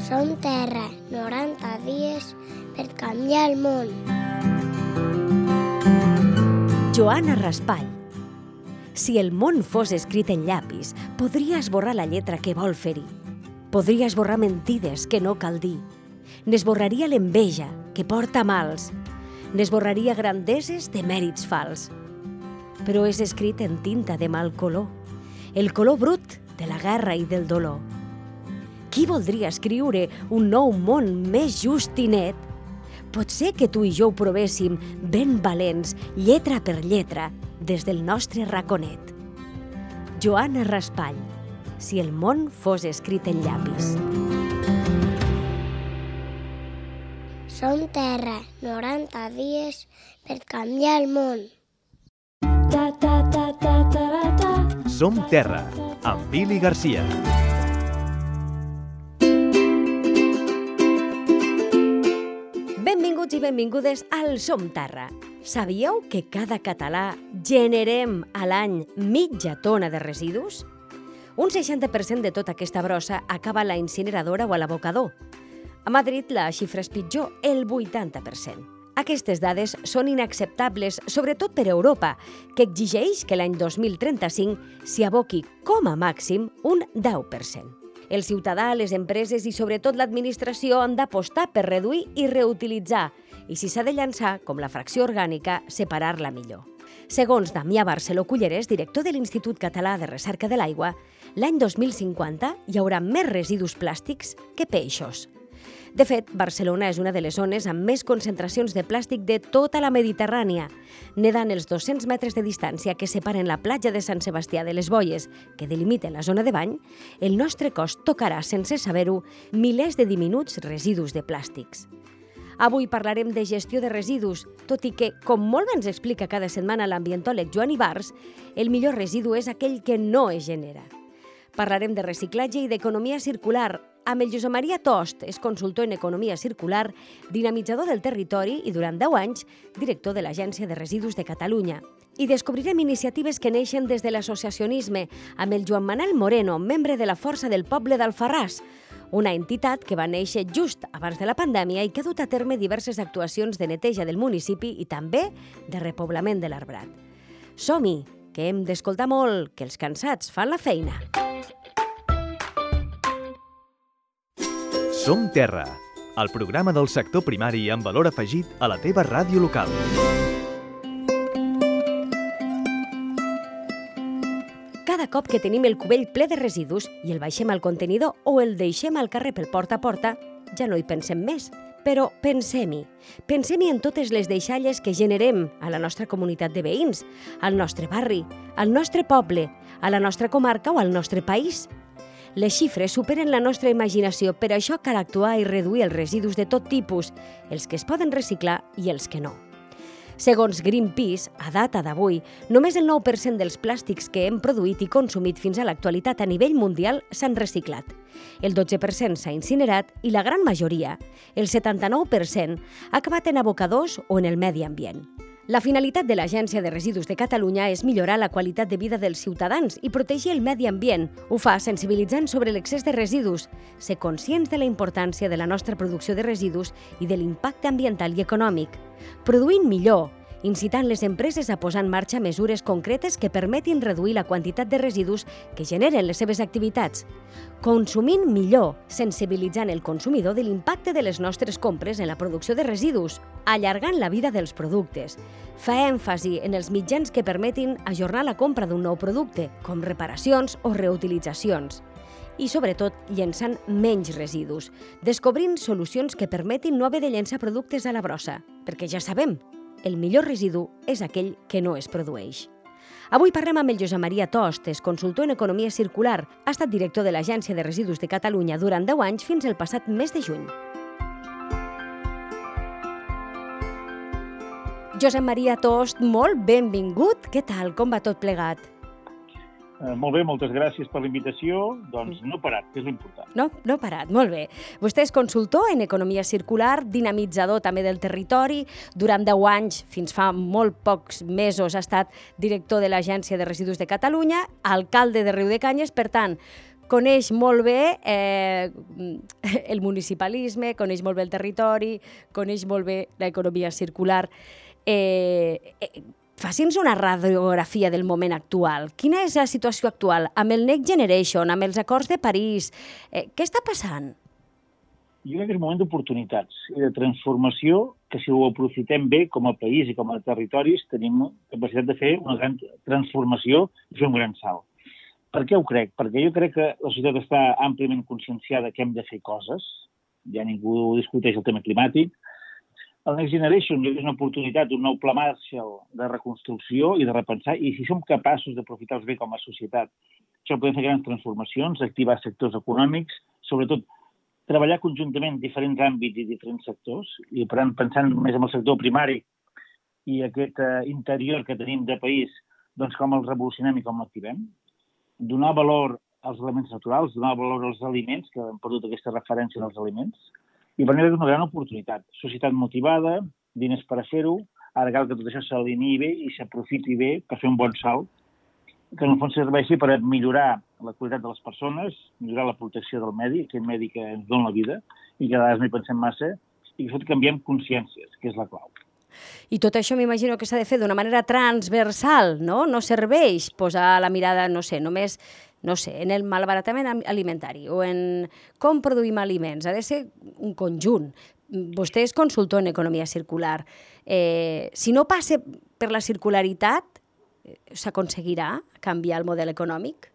Som Terra, 90 dies per canviar el món. Joana Raspall. Si el món fos escrit en llapis, podria esborrar la lletra que vol fer-hi. Podria esborrar mentides que no cal dir. N'esborraria l'enveja, que porta mals. N'esborraria grandeses de mèrits fals. Però és escrit en tinta de mal color, el color brut de la guerra i del dolor. Qui voldria escriure un nou món més just i net? Potser que tu i jo ho provéssim ben valents, lletra per lletra, des del nostre raconet. Joana Raspall. Si el món fos escrit en llapis. Som Terra, 90 dies per canviar el món. Som Terra, amb Billy Garcia. Benvinguts i benvingudes al Som Terra. Sabíeu que cada català generem a l'any mitja tona de residus? Un 60% de tota aquesta brossa acaba a la incineradora o a l'abocador. A Madrid la xifra és pitjor, el 80%. Aquestes dades són inacceptables, sobretot per Europa, que exigeix que l'any 2035 s'hi aboqui com a màxim un 10%. El ciutadà, les empreses i sobretot l'administració han d'apostar per reduir i reutilitzar i si s'ha de llançar, com la fracció orgànica, separar-la millor. Segons Damià Barceló Cullerés, director de l'Institut Català de Recerca de l'Aigua, l'any 2050 hi haurà més residus plàstics que peixos. De fet, Barcelona és una de les zones amb més concentracions de plàstic de tota la Mediterrània. Nedant els 200 metres de distància que separen la platja de Sant Sebastià de les Boies, que delimiten la zona de bany, el nostre cos tocarà, sense saber-ho, milers de diminuts residus de plàstics. Avui parlarem de gestió de residus, tot i que, com molt bé ens explica cada setmana l'ambientòleg Joan Ibars, el millor residu és aquell que no es genera. Parlarem de reciclatge i d'economia circular, amb el Josep Maria Tost, és consultor en economia circular, dinamitzador del territori i durant 10 anys director de l'Agència de Residus de Catalunya. I descobrirem iniciatives que neixen des de l'associacionisme amb el Joan Manel Moreno, membre de la Força del Poble d'Alfarràs, una entitat que va néixer just abans de la pandèmia i que ha dut a terme diverses actuacions de neteja del municipi i també de repoblament de l'arbrat. Som-hi, que hem d'escoltar molt, que els cansats fan la feina. Som Terra, el programa del sector primari amb valor afegit a la teva ràdio local. Cada cop que tenim el cubell ple de residus i el baixem al contenidor o el deixem al carrer pel porta a porta, ja no hi pensem més. Però pensem-hi. Pensem-hi en totes les deixalles que generem a la nostra comunitat de veïns, al nostre barri, al nostre poble, a la nostra comarca o al nostre país. Les xifres superen la nostra imaginació, per això cal actuar i reduir els residus de tot tipus, els que es poden reciclar i els que no. Segons Greenpeace, a data d'avui, només el 9% dels plàstics que hem produït i consumit fins a l'actualitat a nivell mundial s'han reciclat. El 12% s'ha incinerat i la gran majoria, el 79%, ha acabat en abocadors o en el medi ambient. La finalitat de l'Agència de Residus de Catalunya és millorar la qualitat de vida dels ciutadans i protegir el medi ambient. Ho fa sensibilitzant sobre l'excés de residus, ser conscients de la importància de la nostra producció de residus i de l'impacte ambiental i econòmic. Produint millor, incitant les empreses a posar en marxa mesures concretes que permetin reduir la quantitat de residus que generen les seves activitats. Consumint millor, sensibilitzant el consumidor de l'impacte de les nostres compres en la producció de residus, allargant la vida dels productes. Fa èmfasi en els mitjans que permetin ajornar la compra d'un nou producte, com reparacions o reutilitzacions. I, sobretot, llençant menys residus, descobrint solucions que permetin no haver de llençar productes a la brossa, perquè ja sabem, el millor residu és aquell que no es produeix. Avui parlem amb el Josep Maria Tost, és consultor en economia circular. Ha estat director de l'Agència de Residus de Catalunya durant 10 anys fins al passat mes de juny. Josep Maria Tost, molt benvingut. Què tal? Com va tot plegat? Molt bé, moltes gràcies per la invitació. Doncs no he parat, que és l'important. No he parat, molt bé. Vostè és consultor en economia circular, dinamitzador també del territori. Durant 10 anys, fins fa molt pocs mesos, ha estat director de l'Agència de Residus de Catalunya, alcalde de Riudecanyes. Per tant, coneix molt bé el municipalisme, coneix molt bé el territori, coneix molt bé l'economia circular. Faci'ns una radiografia del moment actual. Quina és la situació actual amb el Next Generation, amb els acords de París? Què està passant? Jo crec que és un moment d'oportunitats i de transformació que si ho aprofitem bé com a país i com a territoris tenim capacitat de fer una gran transformació i fer un gran salt. Per què ho crec? Perquè jo crec que la societat està àmpliament conscienciada que hem de fer coses, ja ningú discuteix el tema climàtic. El Next Generation és una oportunitat, un nou pla Marshall de reconstrucció i de repensar, i si som capaços d'aprofitar-los bé com a societat, això podem fer grans transformacions, activar sectors econòmics, sobretot treballar conjuntament diferents àmbits i diferents sectors, i per tant, pensant més en el sector primari i aquest interior que tenim de país, doncs com el revolucionem i com l'activem, donar valor als elements naturals, donar valor als aliments, que hem perdut aquesta referència als aliments, i per mi és una gran oportunitat. Societat motivada, diners per a fer-ho, ara cal que tot això s'alineï bé i s'aprofiti bé per fer un bon salt, que en el fons serveixi per millorar la qualitat de les persones, millorar la protecció del medi, aquest medi que ens dona la vida, i que a vegades no hi pensem massa, i que canviem consciències, que és la clau. I tot això m'imagino que s'ha de fer d'una manera transversal, no? No serveix posar la mirada, no sé, només en el malbaratament alimentari o en com produïm aliments. Ha de ser un conjunt. Vostè és consultor en economia circular. Si no passa per la circularitat, s'aconseguirà canviar el model econòmic?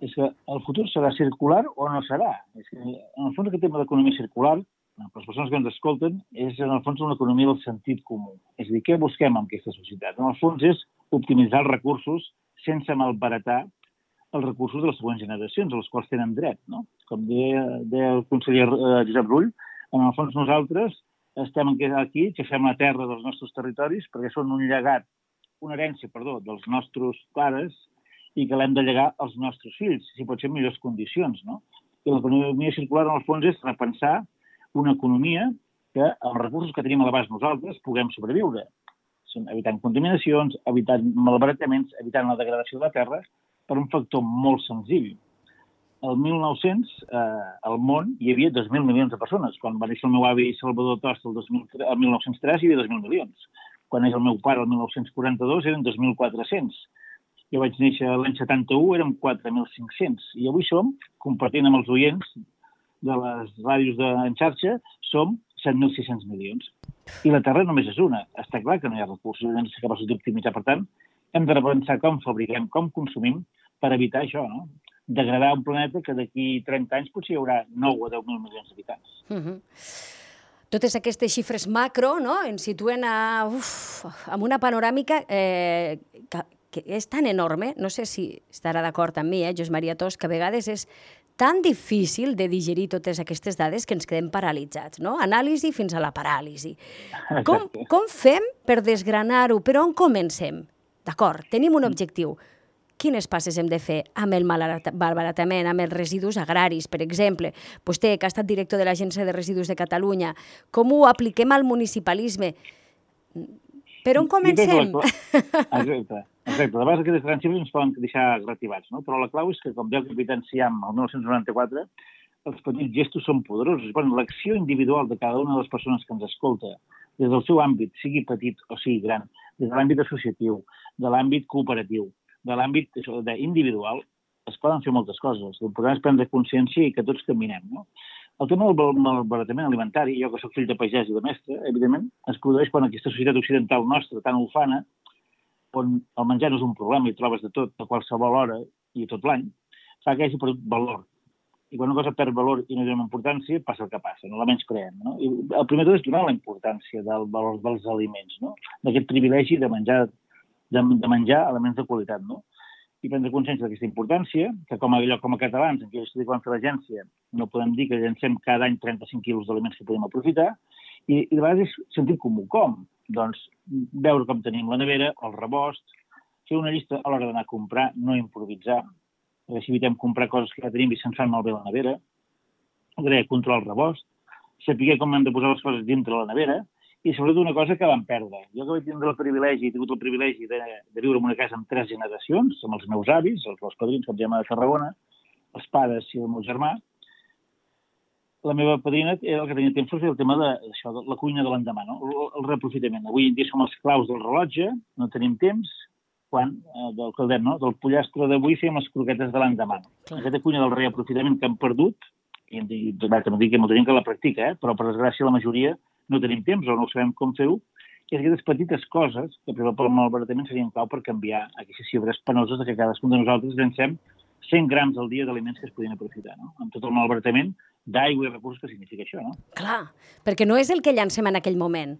És que el futur serà circular o no serà. És que, en el fons, aquest tema d'economia circular, per les persones que ens escolten, és en el fons una economia del sentit comú. És a dir, què busquem en aquesta societat? En el fons és optimitzar els recursos sense malbaratar els recursos de les següents generacions, a les quals tenen dret, no? Com deia el conseller Josep Rull, en el fons nosaltres estem aquí, xafem la terra dels nostres territoris perquè són una herència, dels nostres pares i que l'hem de llegar als nostres fills, si pot ser en millors condicions, no? I l'economia circular, en el fons, és repensar una economia que, amb els recursos que tenim a l'abast nosaltres, puguem sobreviure. Evitant contaminacions, evitant malbarataments, evitant la degradació de la terra, per un factor molt senzill. El 1900, al món, hi havia 2.000 milions de persones. Quan va néixer el meu avi Salvador Tost el 1903 hi havia 2.000 milions. Quan neix el meu pare el 1942 eren 2.400. Jo vaig néixer l'any 71, érem 4.500. I avui som, compartint amb els oients de les ràdios en xarxa, som 7.600 milions. I la Terra només és una. Està clar que no hi ha recursos, hem de ser capaços d'optimitzar. Per tant, hem de repensar com fabriquem, com consumim, per evitar això, no? Degradar un planeta que d'aquí 30 anys potser hi haurà 9 o 10.000 milions d'habitants. Totes aquestes xifres macro, no?, ens situen amb una panoràmica que és tan enorme, no sé si estarà d'acord amb mi, Josep Maria Tost, que a vegades és tan difícil de digerir totes aquestes dades que ens quedem paralitzats, no? Anàlisi fins a la paràlisi. Com fem per desgranar-ho? Per on comencem? D'acord, tenim un objectiu. Quines passes hem de fer amb el malbaratament, amb els residus agraris, per exemple? Vostè, que ha estat director de l'Agència de Residus de Catalunya, com ho apliquem al municipalisme? Per on comencem? Exacte. De vegades aquestes grans xifres ens poden deixar reactivats, no? Però la clau és que, com deia el capità Enciam el 1994, els petits gestos són poderosos. L'acció individual de cada una de les persones que ens escolta, des del seu àmbit, sigui petit o sigui gran, des de l'àmbit associatiu, de l'àmbit cooperatiu, de l'àmbit individual, es poden fer moltes coses. L'important és prendre consciència i que tots caminem, no? El tema del malbaratament alimentari, jo que soc fill de pagès i de mestre, evidentment, es produeix quan aquesta societat occidental nostra, tan ufana, on el menjar no és un problema i trobes de tot a qualsevol hora i tot l'any, fa que hagi perdut valor. I quan una cosa perd valor i no hi dona importància, passa el que passa, no la menyspreem, no? I el primer tot és donar la importància del valor dels aliments, no? D'aquest privilegi de menjar aliments de qualitat, no? I prendre consciència d'aquesta importància, que com a catalans, en què jo estic quan fer l'agència, no podem dir que llancem cada any 35 quilos d'aliments que podem aprofitar, i de vegades és sentit comú. Com? Doncs veure com tenim la nevera, el rebost, fer una llista a l'hora d'anar a comprar, no improvisar, perquè si evitem comprar coses que ja tenim i se'ns fan malbé la nevera, controlar el rebost, saber com hem de posar les coses dintre la nevera, i sobretot una cosa que vam perdre. Jo que vaig tindre el privilegi, he tingut el privilegi de viure en una casa amb 3 generacions, amb els meus avis, els padrins, com es llama, de Tarragona, els pares i el meu germà, la meva padrina era el que tenia temps per fer el tema de la cuina de l'endemà, no? El reaprofitament. Avui en dia som els claus del rellotge, no tenim temps, quan del caldet, no? Del pollastre d'avui fèiem les croquetes de l'endemà. Aquesta cuina del reaprofitament que hem perdut, i em dic que molta gent que la practica, però per desgràcia la majoria no tenim temps o no sabem com fer-ho, i aquestes petites coses, que per exemple el malbaratament serien clau per canviar aquestes xifres penoses de que cadascun de nosaltres llancem 100 grams al dia d'aliments que es podien aprofitar, no? Amb tot el malbaratament d'aigua i recursos que significa això, no? Clar, perquè no és el que llancem en aquell moment.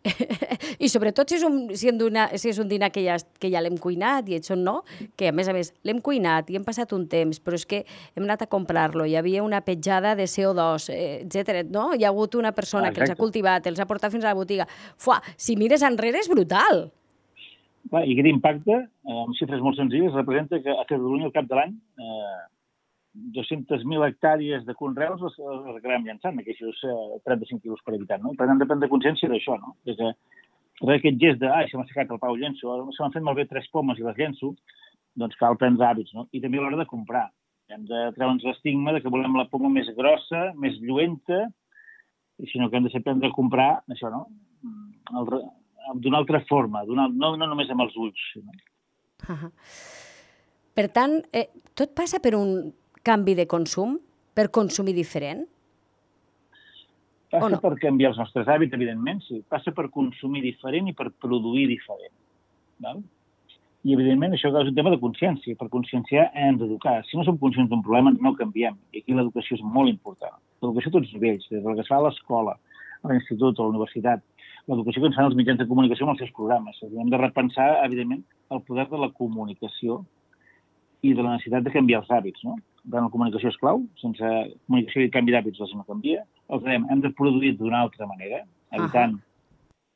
I sobretot si és un dinar que ja l'hem cuinat i això no, que a més l'hem cuinat i hem passat un temps, però és que hem anat a comprar-lo, hi havia una petjada de CO2, etc. No? Hi ha hagut una persona que els ha cultivat, els ha portat fins a la botiga. Fuà, si mires enrere és brutal. I aquest impacte, amb xifres molt senzilles, representa que a Catalunya al cap de l'any 200.000 hectàrees de conreus les acabem llançant, aquests 35 quilos per habitant, no? Per tant, hem de prendre consciència d'això, no? De que aquest gest de, se m'ha assecat el pau, llenço, se m'han fet malbé 3 pomes i les llenço, doncs cal prendre hàbits, no? I també a l'hora de comprar. Hem de treure'ns l'estigma de que volem la poma més grossa, més lluenta, i sinó que hem de ser prendre a comprar, això, no? D'una altra forma, no només amb els ulls. No? Per tant, tot passa per un canvi de consum, per consumir diferent? Passa per canviar els nostres hàbits, evidentment, sí. Passa per consumir diferent i per produir diferent. Val? I, evidentment, això és un tema de consciència. Per conscienciar hem d'educar. Si no som conscients d'un problema, no canviem. I aquí l'educació és molt important. L'educació a tots els nivells, des del que es fa a l'escola, a l'institut, a la universitat, l'educació que ens fan els mitjans de comunicació amb els seus programes. Hem de repensar, evidentment, el poder de la comunicació i de la necessitat de canviar els hàbits, no? La comunicació és clau, sense comunicació i canvi d'hàbits no canvia. Hem de produir d'una altra manera, evitant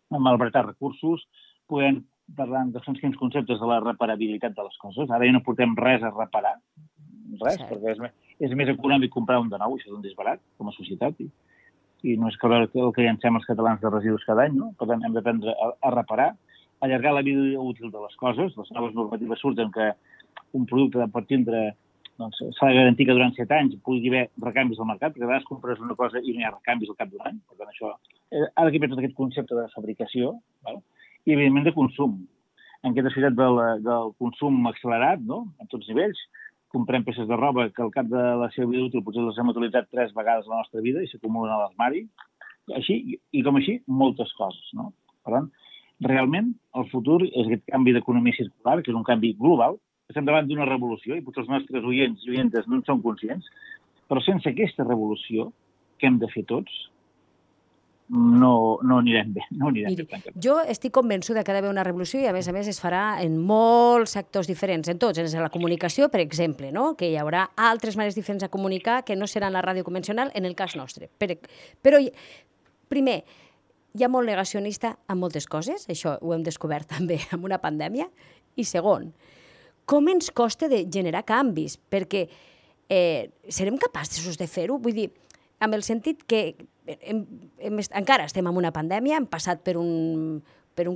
malbaratar recursos, podem parlar de quins conceptes de la reparabilitat de les coses. Ara ja no portem res a reparar, res, perquè és més econòmic comprar un de nou, això és un disbarat com a societat, i no és el que llancem els catalans de residus cada any, no? Per tant, hem d'aprendre a reparar, allargar la vida útil de les coses. Les noves normatives surten que un producte pot tindre s'ha de garantir que durant 7 anys pugui haver recanvis al mercat, perquè a vegades compres una cosa i no hi ha recanvis al cap d'un any. Per tant, això ha de canviar tot aquest concepte de fabricació, val? I, evidentment, de consum. En aquesta societat del consum accelerat, no? A tots nivells, comprem peces de roba que al cap de la seva vida útil potser les hem utilitzat 3 vegades a la nostra vida i s'acumulen a l'armari. I com així, moltes coses, no? Per tant, realment, el futur és aquest canvi d'economia circular, que és un canvi global. Estem davant d'una revolució i potser els nostres oients i oientes no en són conscients, però sense aquesta revolució que hem de fer tots, no anirem bé. Miri, jo estic convençuda que ha d'haver una revolució i, a més, es farà en molts sectors diferents, en tots, en la comunicació, per exemple, no? Que hi haurà altres maneres diferents de comunicar que no seran la ràdio convencional, en el cas nostre. Però, primer, hi ha molt negacionista en moltes coses, això ho hem descobert també amb una pandèmia, i segon, com ens costa de generar canvis, perquè serem capaços de fer-ho? Vull dir, amb el sentit que encara estem en una pandèmia, hem passat per un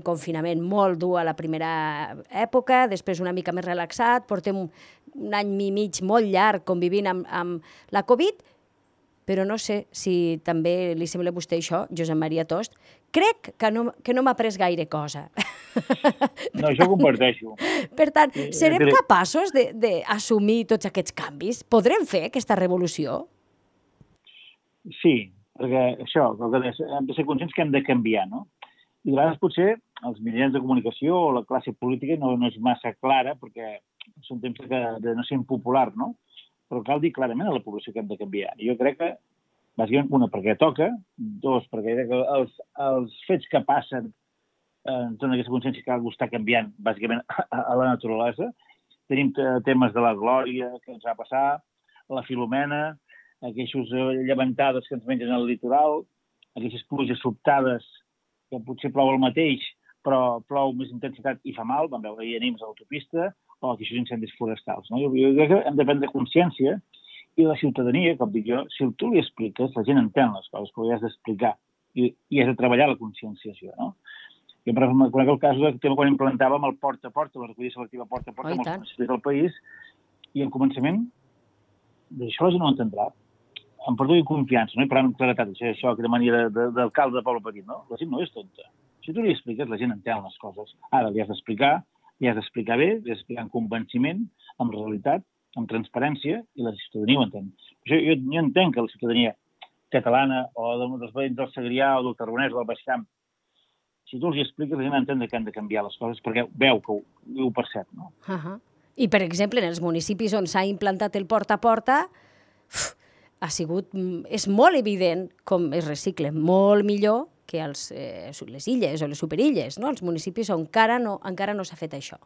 confinament molt dur a la primera època, després una mica més relaxat, portem un any i mig molt llarg convivint amb la Covid, però no sé si també li sembla a vostè això, Josep Maria Tost. Crec que no m'ha pres gaire cosa. No, això ho comparteixo. Per tant, serem capaços d'assumir tots aquests canvis? Podrem fer aquesta revolució? Sí, perquè això, hem de ser conscients que hem de canviar, no? I a vegades potser els mitjans de comunicació o la classe política no és massa clara, perquè són temps de no ser impopular, no? Però cal dir clarament a la població que hem de canviar. Jo crec que, bàsicament, una, perquè toca, dos, perquè els fets que passen donen aquesta consciència que cal estar canviant, bàsicament, a la naturalesa. Tenim temes de la Glòria que ens va passar, la Filomena, aquestes llevantades que ens mengen al litoral, aquestes pluges sobtades que potser plou el mateix, però plou més intensitat i fa mal, vam veure ahir a Nimes a l'autopista, o aquests incendis forestals. No? Jo crec que hem de prendre consciència i la ciutadania, com dic jo, si tu li expliques, la gent entén les coses, però li has d'explicar i has de treballar la conscienciació. No? Jo conec el cas del tema quan implantàvem el porta a porta, la recollida selectiva porta a porta, molts municipis del país, i en començament d'això la gent no ho entendrà. Em perdó confiança, no? I parlant amb claretat, això que de manera d'alcalde de poble petit, no? La gent no és tonta. Si tu li expliques, la gent entén les coses. Ara li has d'explicar bé, li has d'explicar amb convenciment, amb realitat, amb transparència, i la ciutadania ho entén. Jo entenc que la ciutadania catalana o dels veïns del Segrià o del Tarragonès o del Baix Camp, si tu els hi expliques, la gent entén que han de canviar les coses perquè veu que ho percep, no? I, per exemple, en els municipis on s'ha implantat el porta a porta, és molt evident com es recicla molt millor que les illes o les superilles, no? Els municipis on encara no s'ha fet això.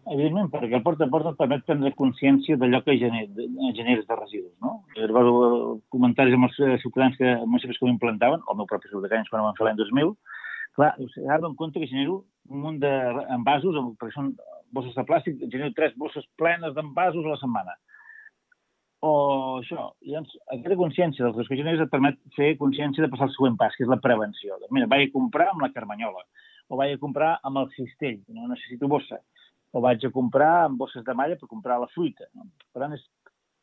Evidentment, perquè el porta a porta et permet prendre consciència d'allò que generes de residus, no? Recordo comentaris amb els ciutadans que municipis que ho implantaven, el meu propi Riudecanyes quan ho vam fer l'any 2000, clar, s'ha en compte que genero un munt d'envasos, perquè són bosses de plàstic, genero 3 bosses plenes d'envasos a la setmana. O això, llavors, aquesta consciència dels que generes et permet fer consciència de passar el següent pas, que és la prevenció. Mira, vaig a comprar amb la carmanyola, o vaig a comprar amb el cistell, no necessito bossa, o vaig a comprar amb bosses de malla per comprar la fruita. No? Per tant,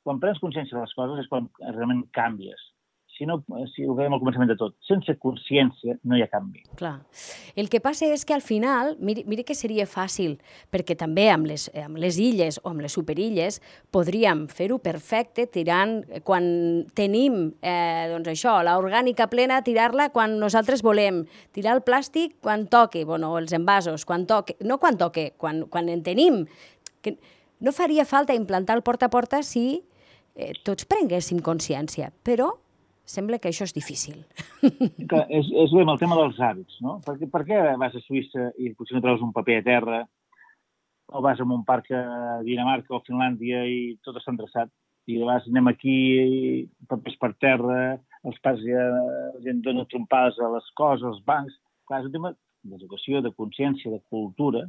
quan prens consciència de les coses és quan realment canvies. Si no, si ho veiem al començament de tot, sense consciència no hi ha canvi. Clar. El que passa és que al final, mira que seria fàcil, perquè també amb les illes o amb les superilles podríem fer-ho perfecte tirant, quan tenim l'orgànica plena, tirar-la quan nosaltres volem, tirar el plàstic quan toque, els envasos, quan toque, quan en tenim. No faria falta implantar el porta a porta si tots prenguéssim consciència, però sembla que això és difícil. És bé amb el tema dels hàbits, no? Per què vas a Suïssa i potser no trobes un paper a terra, o vas a un parc a Dinamarca o a Finlàndia i tot està endreçat, i llavors anem aquí, papers per terra, els parcs ja la gent dona trompades a les coses, als bancs. Clar, és un tema d'educació, de consciència, de cultura,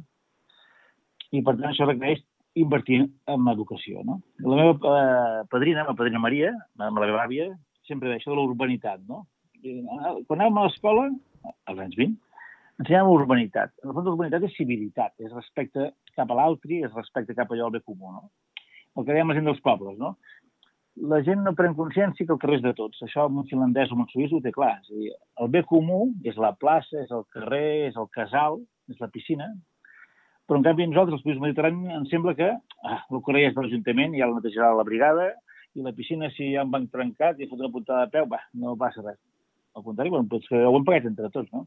i per tant això requereix invertir en educació, no? La meva padrina Maria, la meva àvia, sempre deia això de la urbanitat, no? Quan anàvem a l'escola, als anys 20, ensenyàvem urbanitat. En el fons, urbanitat és civilitat, és respecte cap a l'altre, és respecte cap a allò al bé comú, no? El que dèiem la gent dels pobles, no? La gent no pren consciència que el carrer és de tots. Això un finlandès o un suís ho té clar. És a dir, el bé comú és la plaça, és el carrer, és el casal, és la piscina, però en canvi nosaltres, els països mediterranis, ens sembla que el carrer és de l'Ajuntament, ja el netejarà la brigada, i la piscina, si hi ha un banc trencat i fot una puntada de peu, no passa res. Al contrari, ho hem pagat entre tots, no?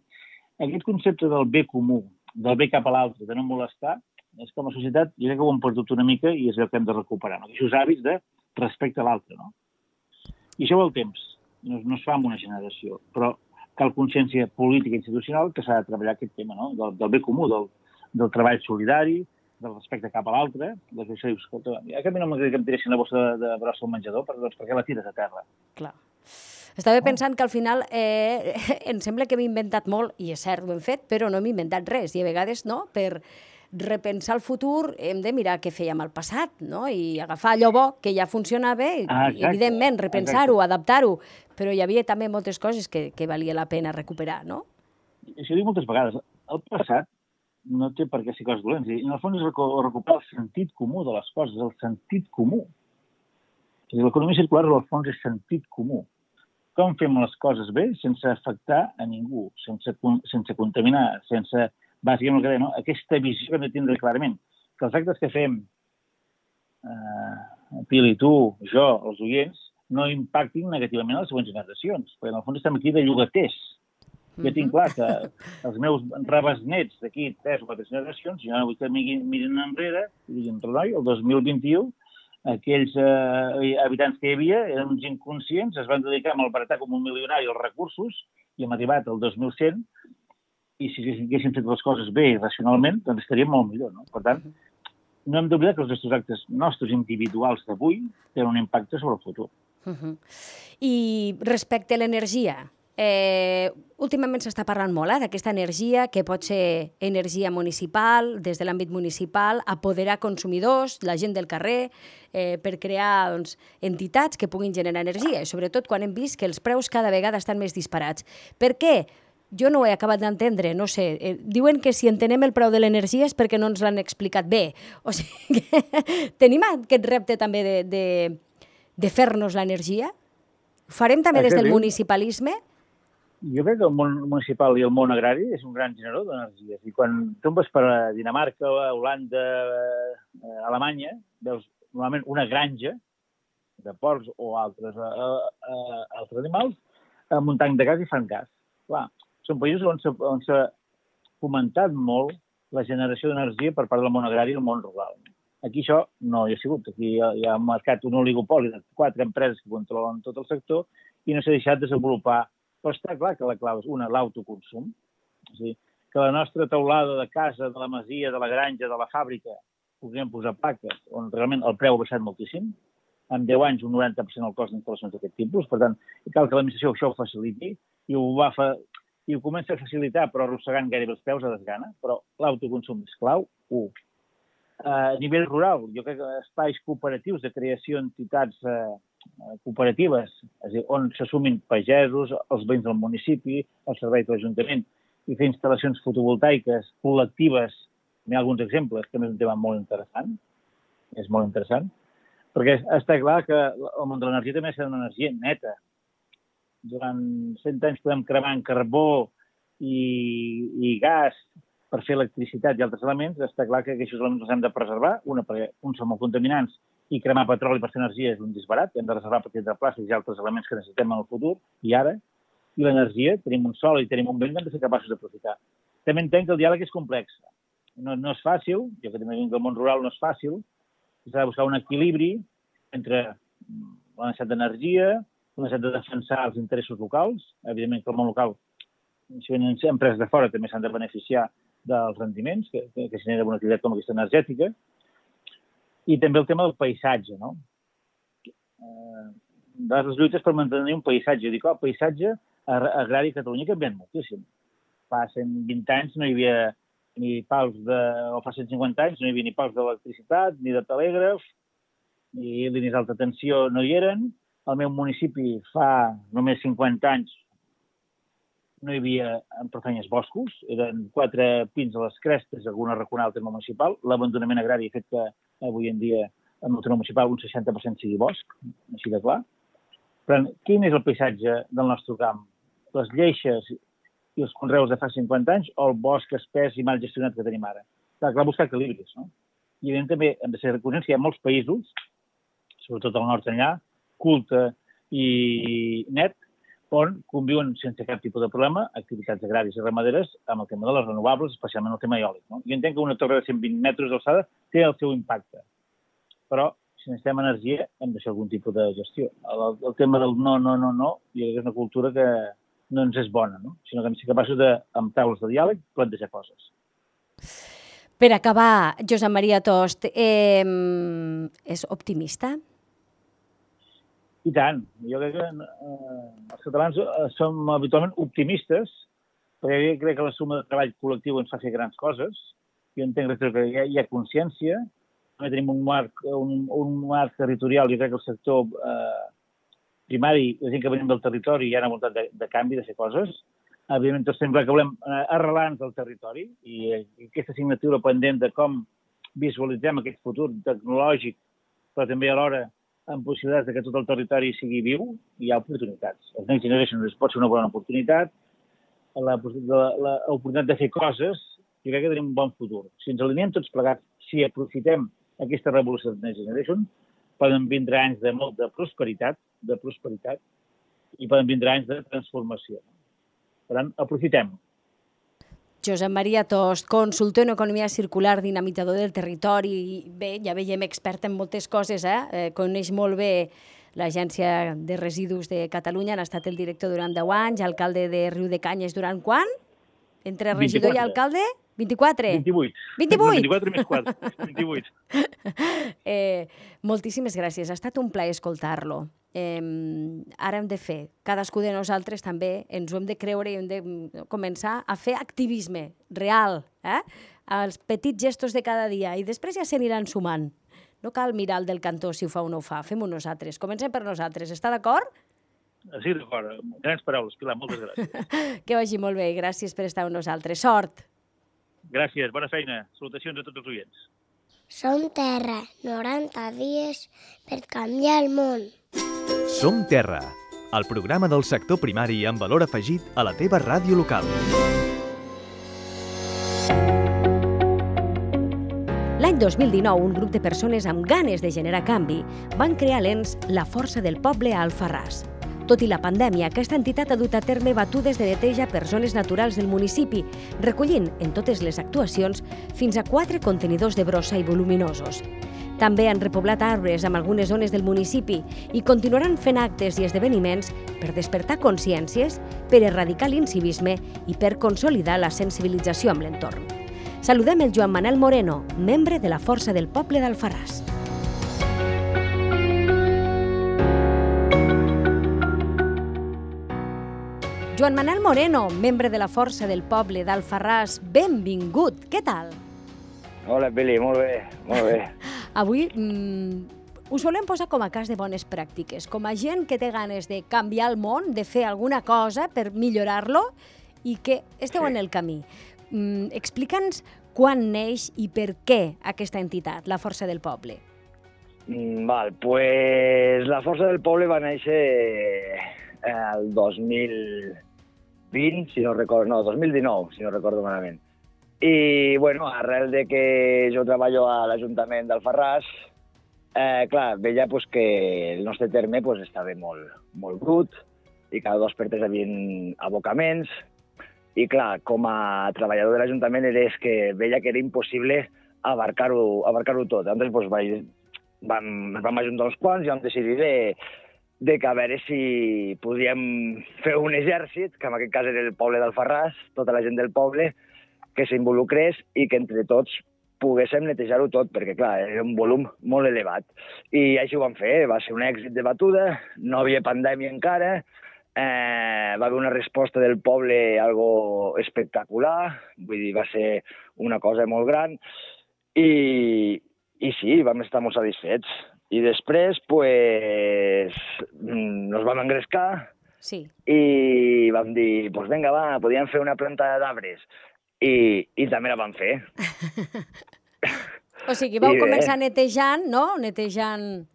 Aquest concepte del bé comú, del bé cap a l'altre, de no molestar, és com a societat, jo crec que ho hem perdut una mica i és el que hem de recuperar, no? Aquests hàbits de respecte a l'altre, no? I això vol temps, no es fa en una generació, però cal consciència política i institucional que s'ha de treballar aquest tema, no? Del bé comú, del treball solidari, del respecte cap a l'altre, que això dius, escolta, a mi no m'agradaria que em tiressin la bossa de brossa al menjador, doncs per què la tires a terra? Clar. Estava pensant que al final em sembla que hem inventat molt, i és cert, ho hem fet, però no hem inventat res, i a vegades no, per repensar el futur hem de mirar què fèiem al passat, no? I agafar allò bo que ja funcionava i, evidentment, repensar-ho, adaptar-ho, però hi havia també moltes coses que valia la pena recuperar, no? Això dic moltes vegades, el passat no té per què ser coses dolents. En el fons és recuperar el sentit comú de les coses, el sentit comú. L'economia circular, en el fons, és sentit comú. Com fem les coses bé sense afectar a ningú, sense contaminar, sense, bàsicament el que deia, no? Aquesta visió que hem de tindre clarament. Que els actes que fem, Pili, tu, jo, els oients, no impactin negativament a les següents generacions, perquè en el fons estem aquí de llogaters. Jo tinc clar que els meus rebesnets d'aquí 3 o 4 generacions, jo no vull que mirin enrere i diguin, Renoi, el 2021, aquells habitants que hi havia eren uns inconscients, es van dedicar a malbaratar com un milionari els recursos i hem arribat al 2100 i si haguéssim fet les coses bé i racionalment, doncs estaríem molt millor, no? Per tant, no hem d'oblidar que els nostres actes nostres individuals d'avui tenen un impacte sobre el futur. I respecte a l'energia, últimament s'està parlant molt d'aquesta energia que pot ser energia municipal, des de l'àmbit municipal, apoderar consumidors, la gent del carrer, per crear entitats que puguin generar energia, i sobretot quan hem vist que els preus cada vegada estan més disparats. Per què? jo no ho he acabat d'entendre, no sé. Diuen que si entenem el preu de l'energia és perquè no ens l'han explicat bé. O sigui que tenim aquest repte també de fer-nos l'energia? Ho farem també des del municipalisme? Jo crec que el món municipal i el món agrari és un gran generador d'energies. I quan tu vas per Dinamarca, Holanda, Alemanya, veus normalment una granja de porcs o altres animals amb un tanc de gas i fan gas. Clar, són països on s'ha fomentat molt la generació d'energia per part del món agrari i el món rural. Aquí això no hi ha sigut. Aquí hi ha marcat un oligopoli de 4 empreses que controlen tot el sector i no s'ha deixat desenvolupar. Però està clar que la clau és, l'autoconsum. És a dir, que la nostra teulada de casa, de la masia, de la granja, de la fàbrica, podríem posar plaques on realment el preu ha baixat moltíssim. En 10 anys un 90% el cost d'instal·lacions d'aquest tipus. Per tant, cal que l'administració això ho faciliti i ho comença a facilitar, però arrossegant gairebé els peus a desgana. Però l'autoconsum és clau, 1. A nivell rural, jo crec que espais cooperatius de creació d'entitats cooperatives, és a dir, on s'assumin pagesos, els veïns del municipi, el servei de l'Ajuntament, i fer instal·lacions fotovoltaiques col·lectives. Hi ha alguns exemples, que és un tema molt interessant. És molt interessant. Perquè està clar que el món de l'energia també ha de ser una energia neta. Durant 100 anys podem cremar en carbó i gas per fer electricitat i altres elements. Està clar que aquests elements els hem de preservar. Perquè uns són molt contaminants i cremar petroli per fer energia és un disbarat. Hem de reservar per tindre plàstics i altres elements que necessitem en el futur i ara. I l'energia, tenim un sol i tenim un vent que hem de ser capaços d'aprofitar. També entenc que el diàleg és complex. No és fàcil, jo que també vinc del món rural no és fàcil. S'ha de buscar un equilibri entre la necessitat d'energia, la necessitat de defensar els interessos locals. Evidentment que el món local, si venen empreses de fora, també s'han de beneficiar dels rendiments que genera una activitat com aquesta energètica. I també el tema del paisatge, no? Les lluites per mantenir un paisatge. Jo dic, el paisatge agrari a Catalunya ha canviat moltíssim. Fa 120 anys no hi havia ni pals o fa 150 anys no hi havia ni pals d'electricitat, ni de telègraf, ni línies d'alta tensió no hi eren. Al meu municipi fa només 50 anys no hi havia prou feines boscos, eren 4 pins a les crestes, alguna raconada al terme municipal. L'abandonament agrari ha fet que avui en dia en el terme municipal un 60% sigui bosc, així de clar. Però quin és el paisatge del nostre camp? Les lleixes i els conreus de fa 50 anys o el bosc espès i mal gestionat que tenim ara? Clar, buscar equilibris, no? I evidentment també hem de ser conscients que hi ha molts països, sobretot al nord enllà, culte i net, on conviuen sense cap tipus de problema activitats agràries i ramaderes amb el tema de les renovables, especialment el tema eòlic. No? Jo entenc que una torre de 120 metres d'alçada té el seu impacte, però si necessitem energia hem de fer algun tipus de gestió. El tema del no, jo crec que és una cultura que no ens és bona, no? Sinó que hem de ser capaços de, amb taules de diàleg, plantejar coses. Per acabar, Josep Maria Tost, és optimista? I tant. Jo crec que els catalans som habitualment optimistes, perquè crec que la suma de treball col·lectiu ens fa fer grans coses. Jo entenc que hi ha consciència. També tenim un marc territorial. Jo crec que el sector primari, la gent que venim del territori, hi ha una voluntat de canvi, de fer coses. Evidentment, tots sembla que volem arrelar-nos del territori i aquesta assignatura pendent de com visualitzem aquest futur tecnològic, però també alhora amb possibilitats que tot el territori sigui viu, hi ha oportunitats. Els Next Generation pot ser una bona oportunitat, l'oportunitat de fer coses, jo crec que tenim un bon futur. Si ens alineem tots plegats, si aprofitem aquesta revolució de Next Generation, poden vindre anys de molta prosperitat, i poden vindre anys de transformació. Per tant, aprofitem. Josep Maria Tost, consultor en economia circular, dinamitzador del territori. Bé, ja veiem expert en moltes coses, coneix molt bé l'Agència de Residus de Catalunya, ha estat el director durant 10 anys, alcalde de Riudecanyes durant quan? Entre regidor i alcalde? 24? 28. 24 més 4, 28. Moltíssimes gràcies, ha estat un plaer escoltar-lo. Ara hem de fer, cadascú de nosaltres també ens ho hem de creure i hem de començar a fer activisme real, els petits gestos de cada dia, i després ja s'aniran sumant. No cal mirar el del cantó si ho fa o no ho fa, fem-ho nosaltres. Comencem per nosaltres, està d'acord? Sí, d'acord. Grans paraules, Pilar, moltes gràcies. Que vagi molt bé, gràcies per estar amb nosaltres. Sort! Gràcies, bona feina. Salutacions a tots els oients. Som Terra, 90 dies per canviar el món. Som Terra, el programa del sector primari amb valor afegit a la teva ràdio local. L'any 2019, un grup de persones amb ganes de generar canvi van crear l'ENS La Força del Poble a Alfarràs. Tot i la pandèmia, aquesta entitat ha dut a terme batudes de neteja per zones naturals del municipi, recollint en totes les actuacions fins a 4 contenidors de brossa i voluminosos. També han repoblat arbres amb algunes zones del municipi i continuaran fent actes i esdeveniments per despertar consciències, per erradicar l'incivisme i per consolidar la sensibilització amb l'entorn. Saludem el Joan Manel Moreno, membre de la Força del Poble d'Alfarràs. Joan Manel Moreno, membre de la Força del Poble d'Alfarràs, benvingut. Què tal? Hola, Pili, molt bé, molt bé. Avui us volem posar com a cas de bones pràctiques, com a gent que té ganes de canviar el món, de fer alguna cosa per millorar-lo i que esteu en el camí. Explica'ns quan neix i per què aquesta entitat, la Força del Poble. Pues la Força del Poble va néixer el 2020, si no recordo, no, 2019, si no recordo malament. I, bueno, arrel de que jo treballo a l'Ajuntament d'Alfarràs, clar, veia pues, que el nostre terme pues, estava molt brut i cada 2 per 3 hi havia abocaments. I, clar, com a treballador de l'Ajuntament que veia que era impossible abarcar-ho tot. Llavors, pues, vam ajuntar uns quants i vam decidir de que a veure si podíem fer un exèrcit, que en aquest cas era el poble d'Alfarràs, tota la gent del poble, que s'involucrés i que entre tots poguéssim netejar-ho tot, perquè, clar, era un volum molt elevat. I així ho vam fer, va ser un èxit de batuda, no havia pandèmia encara, va haver una resposta del poble algo espectacular, vull dir, va ser una cosa molt gran, i sí, vam estar molt satisfets. I després, pues, nos vam engrescar i vam dir, pues vinga, va, podíem fer una planta d'arbres. I també la vam fer. O sigui, vau començar netejant, no? Netejant,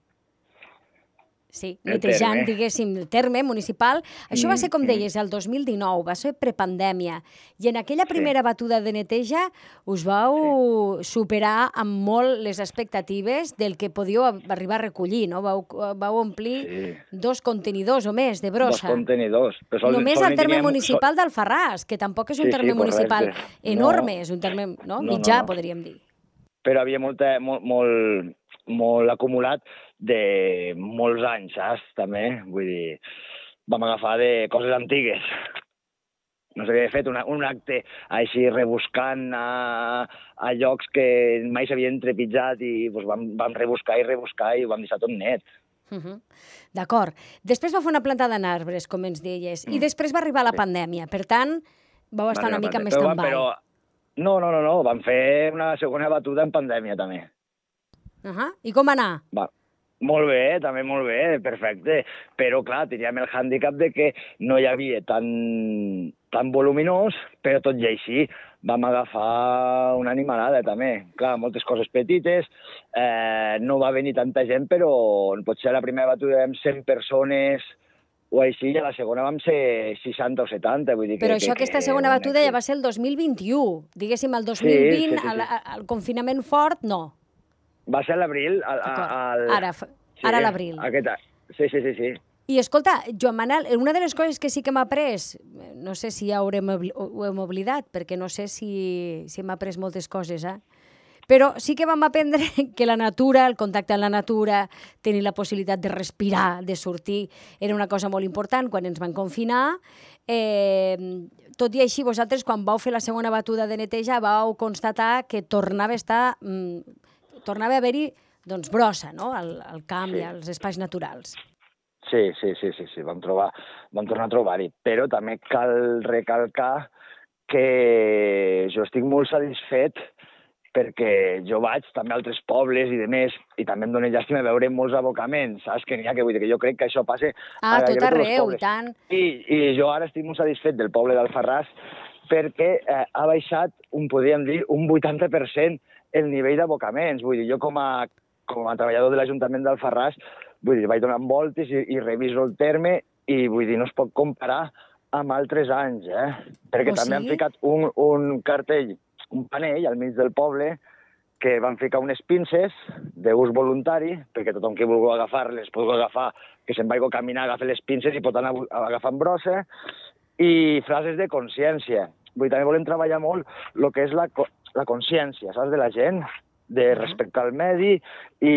diguéssim, el terme municipal. Això va ser, com deies, el 2019, va ser prepandèmia. I en aquella primera batuda de neteja us vau superar amb molt les expectatives del que podíeu arribar a recollir, no? Vau omplir 2 contenidors o més de brossa. 2 contenidors. Només al terme municipal d'Alfarràs, que tampoc és un terme municipal enorme, és un terme mitjà, podríem dir. Però havia molt acumulat de molts anys, saps? També, vull dir, vam agafar de coses antigues. No s'havia fet un acte així rebuscant a llocs que mai s'havien trepitjat i vam rebuscar i ho vam deixar tot net. D'acord. Després va fer una plantada d'arbres, com ens deies, i després va arribar la pandèmia. Per tant, vau estar una mica més stand-by. No, vam fer una segona batuda en pandèmia, també. I com va anar? Molt bé, també molt bé, perfecte. Però, clar, teníem el hàndicap de que no hi havia tan voluminós, però tot i així vam agafar una animalada, també. Clar, moltes coses petites, no va venir tanta gent, però potser a la primera batuda vam 100 persones o així, i a la segona vam ser 60 o 70. Vull dir però aquesta segona batuda ja va ser el 2021. Diguéssim, el 2020, el confinament fort, no. Va ser a l'abril. Ara a l'abril. Sí. I escolta, Joan Manel, una de les coses que sí que m'ha après, no sé si ja ho hem oblidat, perquè no sé si hem après moltes coses, però sí que vam aprendre que la natura, el contacte amb la natura, tenir la possibilitat de respirar, de sortir, era una cosa molt important quan ens van confinar. Tot i així, vosaltres, quan vau fer la segona batuda de neteja, vau constatar que tornava a haver-hi brossa, no?, al camp i als espais naturals. Sí, vam tornar a trobar-hi. Però també cal recalcar que jo estic molt satisfet perquè jo vaig també a altres pobles i de més, i també em dóna llàstima veure molts abocaments, saps? Que n'hi ha que vull dir que jo crec que això passa A tot gairebé tots els arreu, pobles. i tant. I jo ara estic molt satisfet del poble d'Alfarràs perquè ha baixat, podríem dir, un 80% el nivell d'abocaments. Vull dir, jo com a treballador de l'Ajuntament d'Alfarràs, vull dir, vaig donant voltes i reviso el terme i vull dir, no es pot comparar amb altres anys, Perquè també han ficat un cartell, un panell al mig del poble que van ficar unes pinces d'ús voluntari, perquè tothom que vulgui agafar-les pot agafar, que se'n vagi a caminar, agafa les pinces i pot anar agafant brossa, i frases de consciència. Vull dir, també volem treballar molt el que és la consciència, saps, de la gent, de respectar el medi, i,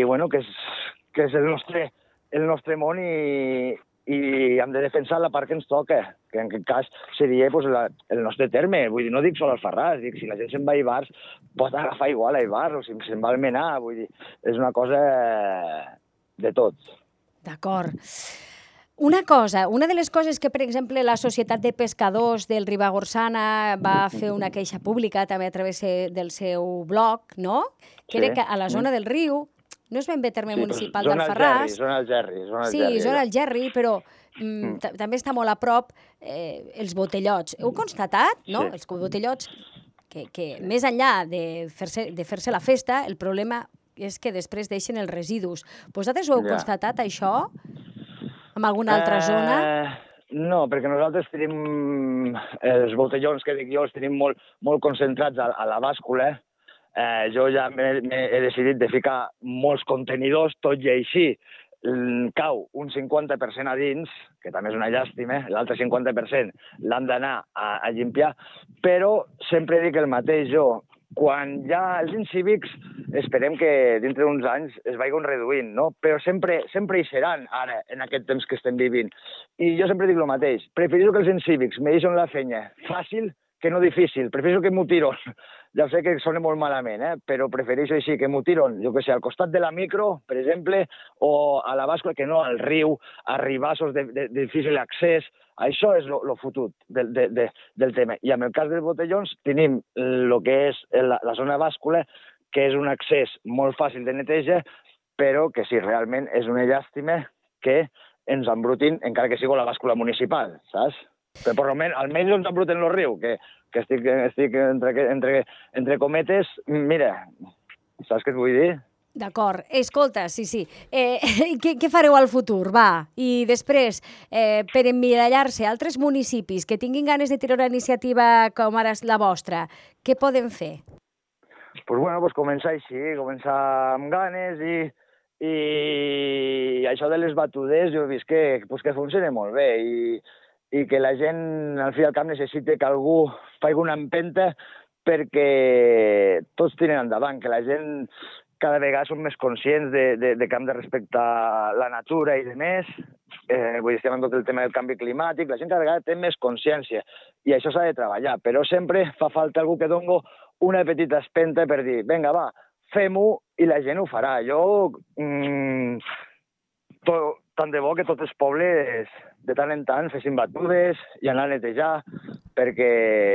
bueno, que és el nostre món i hem de defensar la part que ens toca, que en aquest cas seria pues, el nostre terme. Vull dir, no dic sol Alfarràs, dic, si la gent se'n va a Ivars, pot agafar igual a Ivars, o si se'n va al Almenar, vull dir, és una cosa de tot. D'acord. Una cosa, una de les coses que, per exemple, la Societat de Pescadors del Ribagorçana va fer una queixa pública també a través del seu blog, no? Que era que a la zona del riu, no és ben bé terme municipal d'Alfarràs. Zona Algerri. Sí, zona Algerri, però també està molt a prop els botellots. Heu constatat, no? Els botellots, que més enllà de fer-se la festa, el problema és que després deixen els residus. Vosaltres ho heu constatat, això? En alguna altra zona? No, perquè nosaltres tenim els botellons que dic jo, els tenim molt concentrats a la bàscula. Jo ja he decidit de ficar molts contenidors, tot i així cau un 50% a dins, que també és una llàstima, l'altre 50% l'han d'anar a limpiar, però sempre dic el mateix jo. Quan ja els incívics esperem que dintre d'uns anys es vagin reduint, no? Però sempre hi seran ara, en aquest temps que estem vivint. I jo sempre dic el mateix, prefereixo que els incívics me deixen la feina fàcil que no difícil, prefereixo que m'ho tiron. Ja sé que sona molt malament, però prefereixo així, que m'ho tiron, jo que sé, al costat de la micro, per exemple, o a la bàscula, que no al riu, a ribassos de difícil accés. Això és el fotut del tema. I en el cas dels botellons tenim el que és la zona bàscula, que és un accés molt fàcil de neteja, però que sí, realment és una llàstima que ens embrutin, encara que sigui la bàscula municipal, saps? Però almenys no ens embruten el riu, que estic entre cometes, mira, saps què et vull dir? D'acord. Escolta, sí. Què fareu al futur, va? I després, per emmirallar-se a altres municipis que tinguin ganes de tirar una iniciativa com ara la vostra, què poden fer? Doncs començar així, començar amb ganes i això de les batudes jo he vist que funciona molt bé i que la gent, al fi i al cap, necessita que algú faci una empenta perquè tots tiren endavant, que la gent cada vegada som més conscients de que hem de respectar la natura i demés. Vull dir, estem en tot el tema del canvi climàtic, la gent cada vegada té més consciència i això s'ha de treballar, però sempre fa falta algú que doni una petita espenta per dir, vinga, va, fem-ho i la gent ho farà. Jo, tant de bo que tots els pobles de tant en tant fessin batudes i anar a netejar, perquè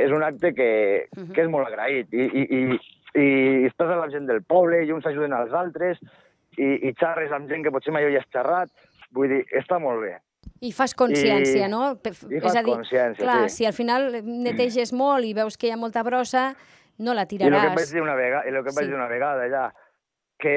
és un acte que és molt agraït i estàs a la gent del poble i uns ajuden als altres i xarres amb gent que potser mai hi has xerrat, vull dir, està molt bé. I fas consciència, no? I fas consciència, clar, si al final neteges molt i veus que hi ha molta brossa, no la tiraràs. I el que em vaig dir una vegada allà, que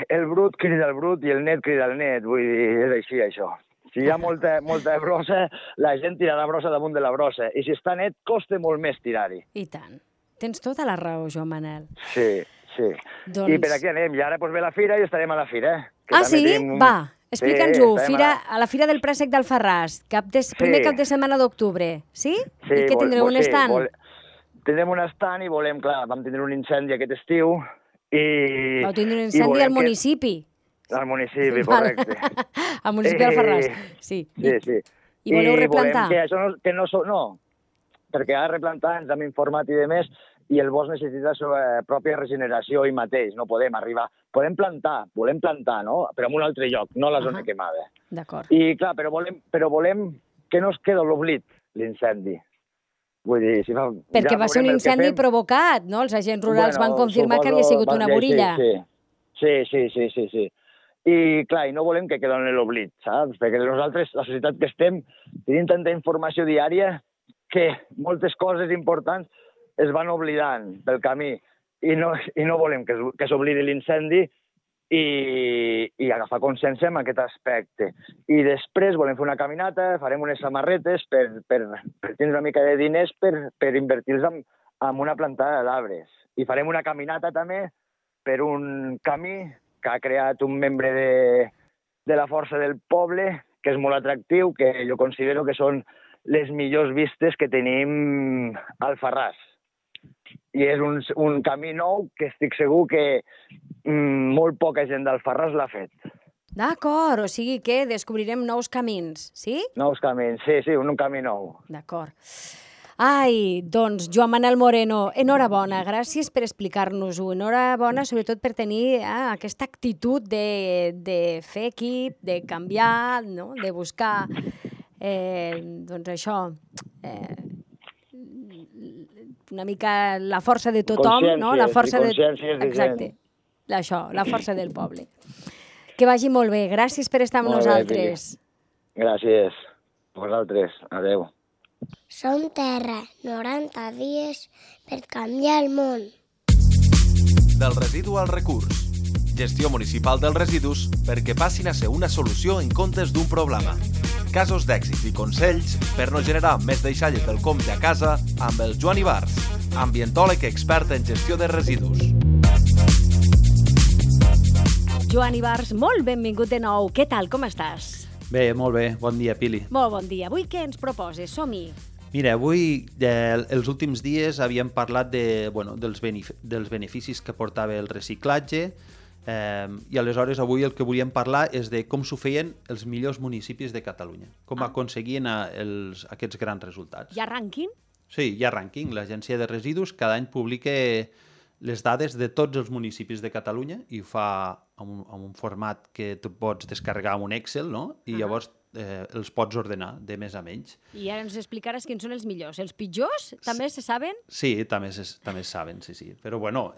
el brut crida el brut i el net crida el net, vull dir, és així això. Si hi ha molta brossa, la gent tirarà brossa damunt de la brossa, i si està net, costa molt més tirar-hi. I tant. Tens tota la raó, Joan Manel. Sí. I per aquí anem, i ara ve la fira i estarem a la fira. Sí? Va, explica'ns-ho. A la Fira del Préssec d'Alfarràs, primer cap de setmana d'octubre, sí? Sí. I què tindreu, un estand? Tindrem un estand i volem, clar, vam tindre un incendi aquest estiu i... Vau tindre un incendi al municipi. Al municipi, correcte. Al municipi d'Alfarràs, sí. I voleu replantar? No, perquè a replantar ens hem informat i demés, i el bosc necessita la seva pròpia regeneració ell mateix, no podem arribar. Volem plantar, no? Però en un altre lloc, no a la zona quemada. D'acord. I clar, però volem que no es quedi a l'oblit l'incendi. Vull dir, si fa... Perquè ja va ser un veurem el que incendi fem. provocat, no? Els agents rurals van confirmar que havia sigut una burilla. Sí. I, clar, i no volem que quedi en l'oblit, saps? Perquè nosaltres, la societat que estem, tenim tanta informació diària que moltes coses importants es van oblidant pel camí i no volem que s'oblidi l'incendi i agafar consciència en aquest aspecte. I després volem fer una caminata, farem unes samarretes per tenir una mica de diners per invertir-los en una plantada d'arbres. I farem una caminata també per un camí que ha creat un membre de la Força del Poble, que és molt atractiu, que jo considero que són les millors vistes que tenim al Farràs. I és un camí nou que estic segur que molt poca gent del Farràs l'ha fet. D'acord, o sigui que descobrirem nous camins, sí? Nous camins, sí, un camí nou. D'acord. Ai, doncs, Joan Manel Moreno, enhorabona, gràcies per explicar-nos-ho. Enhorabona, sobretot per tenir aquesta actitud de fer equip, de canviar, no? De buscar, doncs això, una mica la força de tothom, no? La força de... Exacte, això, la força del poble. Que vagi molt bé, gràcies per estar amb nosaltres. Gràcies, vosaltres, adeu. Som Terra, 90 dies per canviar el món. Del residu al recurs. Gestió municipal dels residus perquè passin a ser una solució en comptes d'un problema. Casos d'èxit i consells per no generar més deixalles del compte a casa amb el Joan Ibars, ambientòleg expert en gestió de residus. Joan Ibars, molt benvingut de nou. Què tal, com estàs? Bé, molt bé. Bon dia, Pili. Molt bon dia. Avui què ens proposes? Som-hi. Mira, avui, els últims dies, havíem parlat dels beneficis que portava el reciclatge i aleshores avui el que volíem parlar és de com s'ho feien els millors municipis de Catalunya, com aconseguien aquests grans resultats. Hi ha rànquing? Sí, hi ha rànquing. L'Agència de Residus cada any publica les dades de tots els municipis de Catalunya i ho fa en un format que tu pots descarregar en un Excel, no? I llavors els pots ordenar de més a menys. I ara ens explicaràs quins són els millors. Els pitjors també se saben? Sí, també es saben, sí. Però bueno,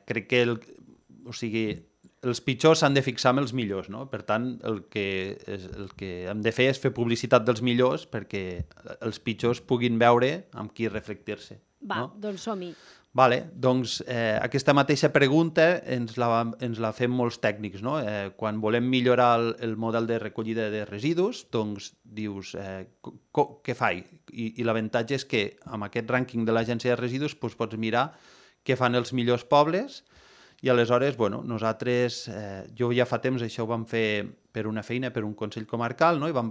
crec que els pitjors s'han de fixar amb els millors, no? Per tant, el que hem de fer és fer publicitat dels millors perquè els pitjors puguin veure amb qui reflectir-se. Va, doncs som-hi. Vale, doncs aquesta mateixa pregunta ens la fem molts tècnics, no? Quan volem millorar el model de recollida de residus, doncs dius, què faig? I l'avantatge és que amb aquest rànquing de l'Agència de Residus doncs, pots mirar què fan els millors pobles i aleshores, bueno, nosaltres, jo ja fa temps això ho vam fer per una feina, per un Consell Comarcal, no? I vam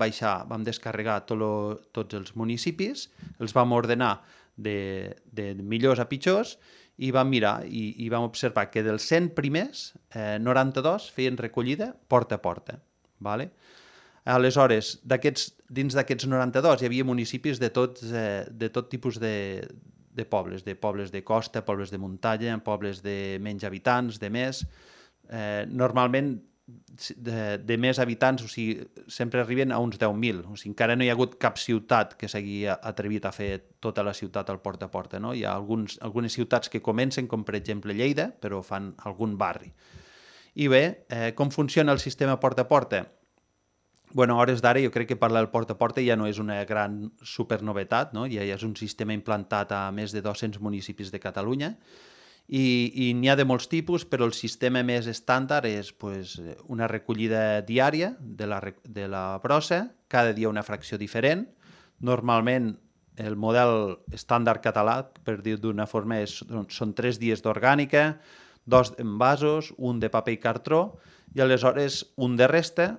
descarregar tots els municipis, els vam ordenar de millors a pitjors i vam mirar i vam observar que dels 100 primers, 92 feien recollida porta a porta. Vale? Aleshores, dins d'aquests 92 hi havia municipis de tot tipus de pobles de costa, pobles de muntanya, pobles de menys habitants, de més. Normalment de més habitants, o sigui, sempre arriben a uns 10.000. O sigui, encara no hi ha hagut cap ciutat que s'hagi atrevit a fer tota la ciutat al porta a porta, no? Hi ha algunes ciutats que comencen, com per exemple Lleida, però fan algun barri. I bé, com funciona el sistema porta a porta? Bueno, a hores d'ara jo crec que parlar del porta a porta ja no és una gran supernovetat, no? Ja és un sistema implantat a més de 200 municipis de Catalunya i n'hi ha de molts tipus, però el sistema més estàndard és una recollida diària de la brossa, cada dia una fracció diferent. Normalment el model estàndard català, per dir-ho d'una forma, són 3 dies d'orgànica, 2 d'envasos, un de paper i cartró, i aleshores un de resta,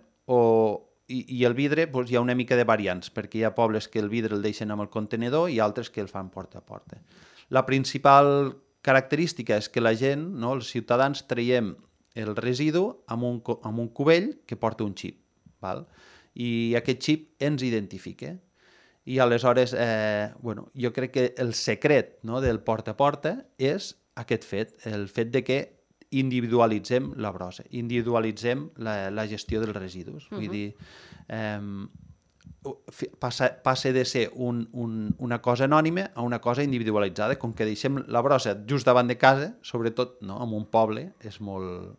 i el vidre hi ha una mica de variants, perquè hi ha pobles que el vidre el deixen amb el contenidor i altres que el fan porta a porta. La principal característica és que la gent, no, els ciutadans, traiem el residu amb un cubell que porta un xip. Val? I aquest xip ens identifica. I aleshores, jo crec que el secret, no, del porta a porta és aquest fet, el fet de que individualitzem la brossa, individualitzem la gestió dels residus. Vull dir, passa de ser una cosa anònima a una cosa individualitzada. Com que deixem la brossa just davant de casa, sobretot no, en un poble, és molt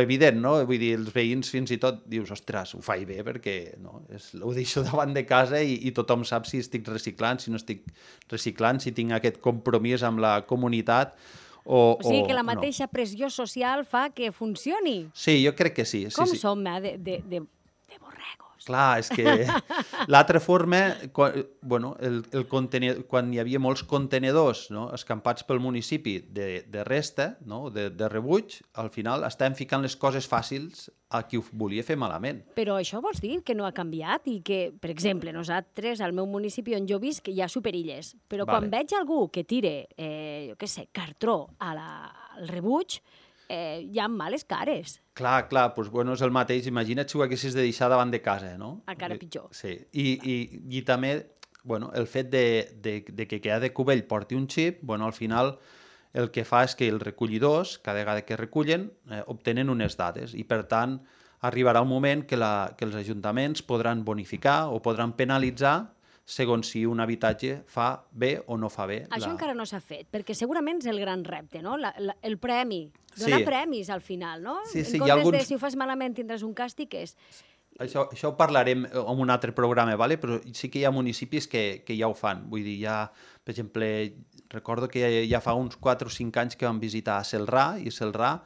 evident, no? Vull dir, els veïns fins i tot dius, ostres, ho faig bé perquè no, ho deixo davant de casa i tothom sap si estic reciclant, si no estic reciclant, si tinc aquest compromís amb la comunitat o sigui que la mateixa pressió social fa que funcioni. Sí, jo crec que sí. Com som, de borregos? Clar, és que l'altra forma, quan hi havia molts contenidors escampats pel municipi de resta, de rebuig, al final estàvem ficant les coses fàcils a qui ho volia fer malament. Però això vols dir que no ha canviat i que, per exemple, nosaltres, al meu municipi on jo visc, hi ha superilles, però quan veig algú que tire, jo què sé, cartró al rebuig, hi ha males cares. Clar, doncs és el mateix. Imagina't si ho haguessis de deixar davant de casa, no? Encara pitjor. Sí, i també el fet de que cada cubell porti un xip, al final el que fa és que els recollidors, cada vegada que recullen, obtenen unes dades i, per tant, arribarà un moment que els ajuntaments podran bonificar o podran penalitzar segons si un habitatge fa bé o no fa bé. Això encara no s'ha fet, perquè segurament és el gran repte, no? El premi, donar premis al final, no? Sí, en comptes de si ho fas malament tindràs un càstig, Això ho parlarem en un altre programa, però sí que hi ha municipis que ja ho fan. Vull dir, per exemple, recordo que ja fa uns 4 o 5 anys que vam visitar Celrà, i Celrà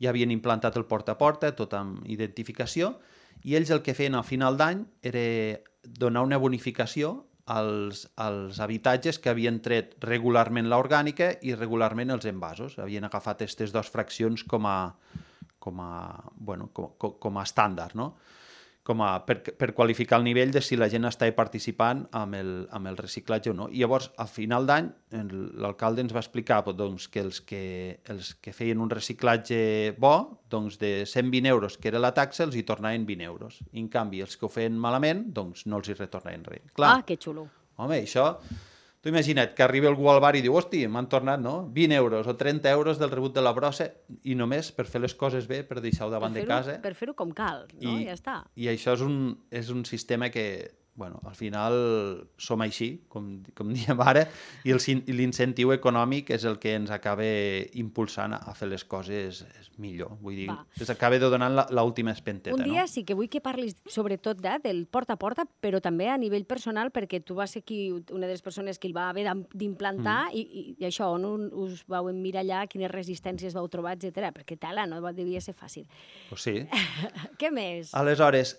ja havien implantat el porta a porta, tot amb identificació, i ells el que feien al final d'any era donar una bonificació als habitatges que havien tret regularment l'orgànica i regularment els envasos. Havien agafat aquestes dues fraccions com a estàndard, no? Per qualificar el nivell de si la gent està participant amb el reciclatge o no. I llavors, al final d'any, l'alcalde ens va explicar que els que feien un reciclatge bo, de 120 euros, que era la taxa, els hi tornaven 20 euros. I, en canvi, els que ho feien malament, no els hi retornaven res. Clar. Que xulo. Home, això... Tu imagina't que arriba algú al bar i diu, hosti, m'han tornat 20 euros o 30 euros del rebut de la brossa i només per fer les coses bé, per deixar-ho davant de casa. Per fer-ho com cal, no? Ja està. I això és un sistema que, al final som així, com diem ara, i l'incentiu econòmic és el que ens acaba impulsant a fer les coses millor. Vull dir, ens acaba donant l'última espenteta. Un dia sí que vull que parlis sobretot del porta a porta, però també a nivell personal, perquè tu vas ser una de les persones que el va haver d'implantar i això, on us vau emmirallar, quines resistències vau trobar, etc. Perquè tela, no devia ser fàcil. Pues sí. Què més? Aleshores,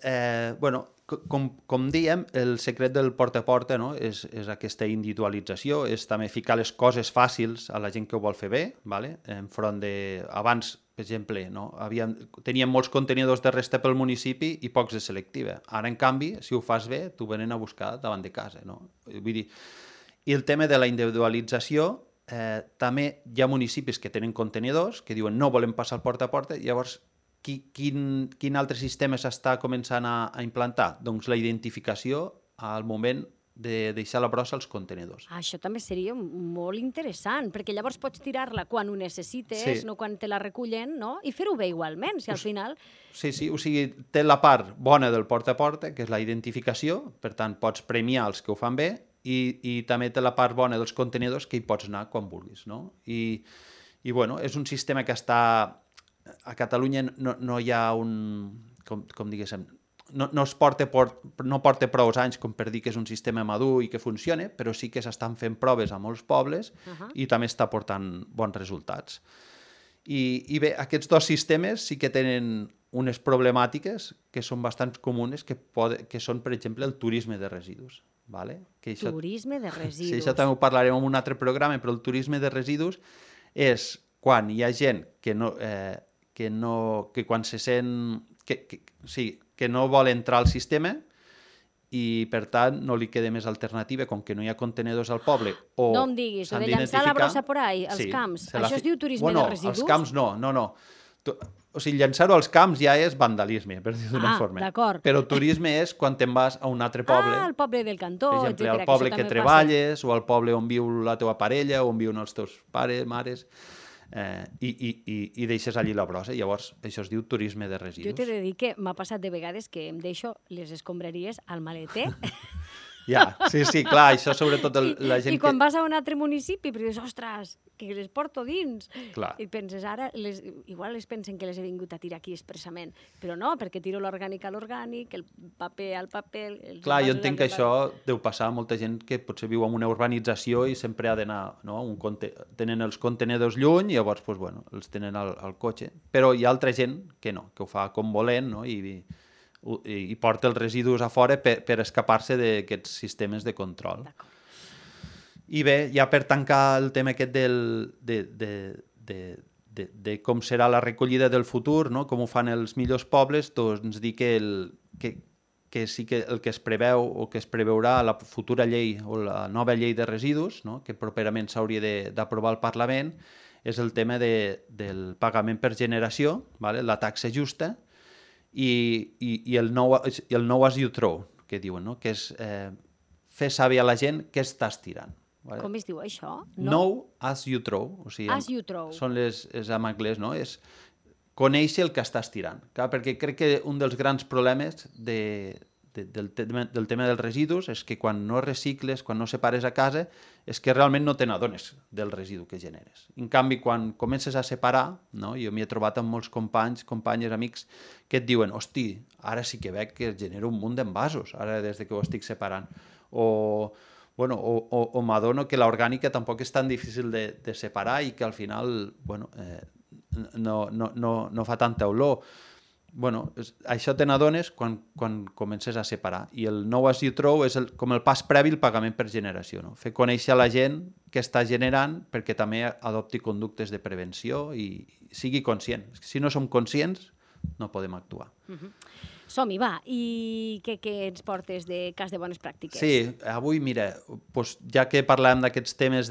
com dèiem, el secret del porta a porta és aquesta individualització, és també ficar les coses fàcils a la gent que ho vol fer bé, enfront de... Abans, per exemple, teníem molts contenidors de resta pel municipi i pocs de selectiva. Ara, en canvi, si ho fas bé, t'ho venen a buscar davant de casa. Vull dir, i el tema de la individualització, també hi ha municipis que tenen contenidors que diuen no volem passar el porta a porta, i llavors quin altre sistema s'està començant a implantar? Doncs la identificació al moment de deixar la brossa als contenidors. Això també seria molt interessant, perquè llavors pots tirar-la quan ho necessites, no quan te la recullen, no? I fer-ho bé igualment, si al final... Sí, o sigui, té la part bona del porta a porta, que és la identificació, per tant, pots premiar els que ho fan bé, i també té la part bona dels contenidors, que hi pots anar quan vulguis, no? I és un sistema que està... A Catalunya no hi ha com diguéssim, no porta prou anys com per dir que és un sistema madur i que funciona, però sí que s'estan fent proves a molts pobles i també està portant bons resultats. I bé, aquests dos sistemes sí que tenen unes problemàtiques que són bastant comunes, que són, per exemple, el turisme de residus. Turisme de residus. Sí, això també ho parlarem en un altre programa, però el turisme de residus és quan hi ha gent que quan se sent que no vol entrar al sistema i, per tant, no li queda més alternativa, com que no hi ha contenidors al poble. No em diguis, de llançar la brossa por ahí, als camps. Això es diu turisme de residus? Als camps no. O sigui, llançar-ho als camps ja és vandalisme, per dir-ho d'una forma. D'acord. Però turisme és quan te'n vas a un altre poble. Al poble del cantó, per exemple, al poble que treballes, o al poble on viu la teva parella, o on viuen els teus pares, mares... i deixes allí la brossa. Llavors, això es diu turisme de residus. Jo t'he de dir que m'ha passat de vegades que em deixo les escombraries al maleter Ja, sí, clar, això sobretot la gent i quan vas a un altre municipi dius, ostres, que les porto dins. Clar. I penses, ara, igual es pensen que les he vingut a tirar aquí expressament, però no, perquè tiro l'orgànic a l'orgànic, el paper al paper... Clar, jo entenc que això deu passar a molta gent que potser viu en una urbanització i sempre ha d'anar, no? Tenen els contenedors lluny i llavors, doncs, bueno, els tenen al cotxe. Però hi ha altra gent que no, que ho fa com volent, no? I porta els residus a fora per escapar-se d'aquests sistemes de control. I bé, ja per tancar el tema aquest de com serà la recollida del futur, no? Com ho fan els millors pobles, doncs dir que sí que el que es preveu o que es preveurà a la futura llei o la nova llei de residus, no? Que properament s'hauria d'aprovar al Parlament, és el tema del pagament per generació, vale? La taxa justa, i el know as you throw, que diuen, no? Que és fer saber a la gent què estàs tirant. Vale? Com es diu això? Know as you throw. O sigui, as you throw. És en anglès, no? És conèixer el que estàs tirant. Clar, perquè crec que un dels grans problemes del tema dels residus és que quan no recicles, quan no separes a casa, és que realment no te n'adones del residu que generes. En canvi, quan comences a separar, no? Jo m'hi he trobat amb molts companys, companyes, amics, que et diuen, hosti, ara sí que veig que genero un munt d'envasos, ara des que ho estic separant. O m'adono que l'orgànica tampoc és tan difícil de separar i que al final no fa tanta olor. Bueno, això te n'adones quan comences a separar. I el know as you throw és com el pas previ al pagament per generació. No? Fer conèixer a la gent què està generant perquè també adopti conductes de prevenció i sigui conscient. Si no som conscients, no podem actuar. Som-hi, va. I què ens portes de cas de bones pràctiques? Sí, avui, mira, doncs, ja que parlàvem d'aquests temes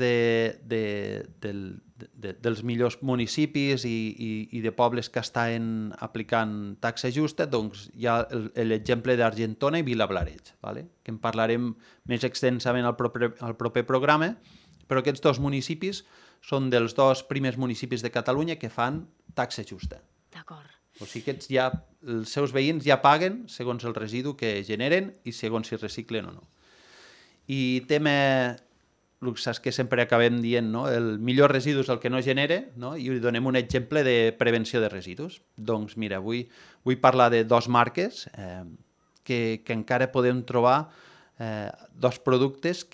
dels millors municipis i de pobles que estan aplicant taxa justa, doncs hi ha l'exemple d'Argentona i Vilablareix, vale? Que en parlarem més extensament al proper programa, però aquests dos municipis són dels dos primers municipis de Catalunya que fan taxa justa. D'acord. O sigui que els seus veïns ja paguen segons el residu que generen i segons si reciclen o no. I tema, saps que sempre acabem dient, no? El millor residu és el que no genera, no? I donem un exemple de prevenció de residus. Doncs mira, vull parlar de dos marques que encara podem trobar dos productes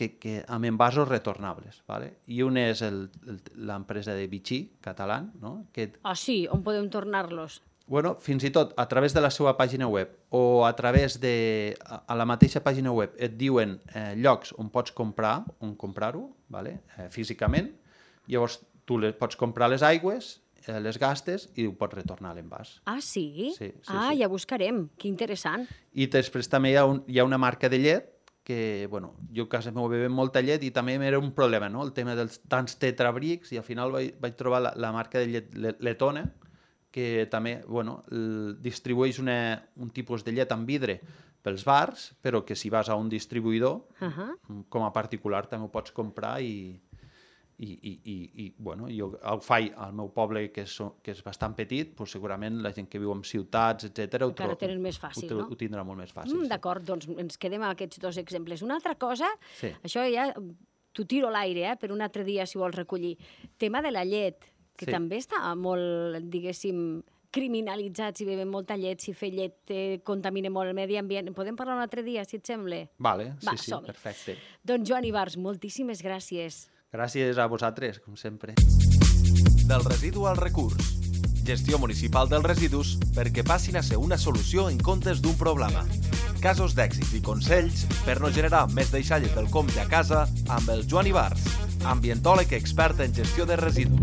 amb envasos retornables. Vale? I un és l'empresa de Vichy, català. No? Sí, on podem tornar-los? Bueno, fins i tot a través de la seva pàgina web o a través a la mateixa pàgina web et diuen llocs on pots comprar-ho, vale? Físicament. Llavors tu pots comprar les aigües, les gastes i ho pots retornar a l'envàs. Ah, sí? Sí. Ja buscarem. Que interessant. I després també hi ha una marca de llet que, bueno, jo a casa meu bevem molta llet i també era un problema, no? El tema dels tants tetrabrics i al final vaig trobar la marca de llet Letona, que també, bueno, distribueix un tipus de llet en vidre pels bars, però que si vas a un distribuïdor, com a particular també ho pots comprar i bueno, jo ho faig al meu poble, que és bastant petit, doncs segurament la gent que viu en ciutats, etc. Encara ho tenen més fàcil, no? Ho tindrà molt més fàcil. D'acord, doncs ens quedem amb aquests dos exemples. Una altra cosa, això ja t'ho tiro a l'aire, per un altre dia si vols recollir. Tema de la llet, que també està molt, diguéssim, criminalitzat si bevem molta llet, si fer llet contamina molt el medi ambient. Podem parlar un altre dia, si et sembla? Vale, sí, perfecte. Doncs Joan Ibars, moltíssimes gràcies. Gràcies a vosaltres, com sempre. Del residu al recurs. Gestió municipal dels residus perquè passin a ser una solució en comptes d'un problema. Casos d'èxit i consells per no generar més deixalles del compte a casa amb el Joan Ibars, ambientòleg expert en gestió de residus.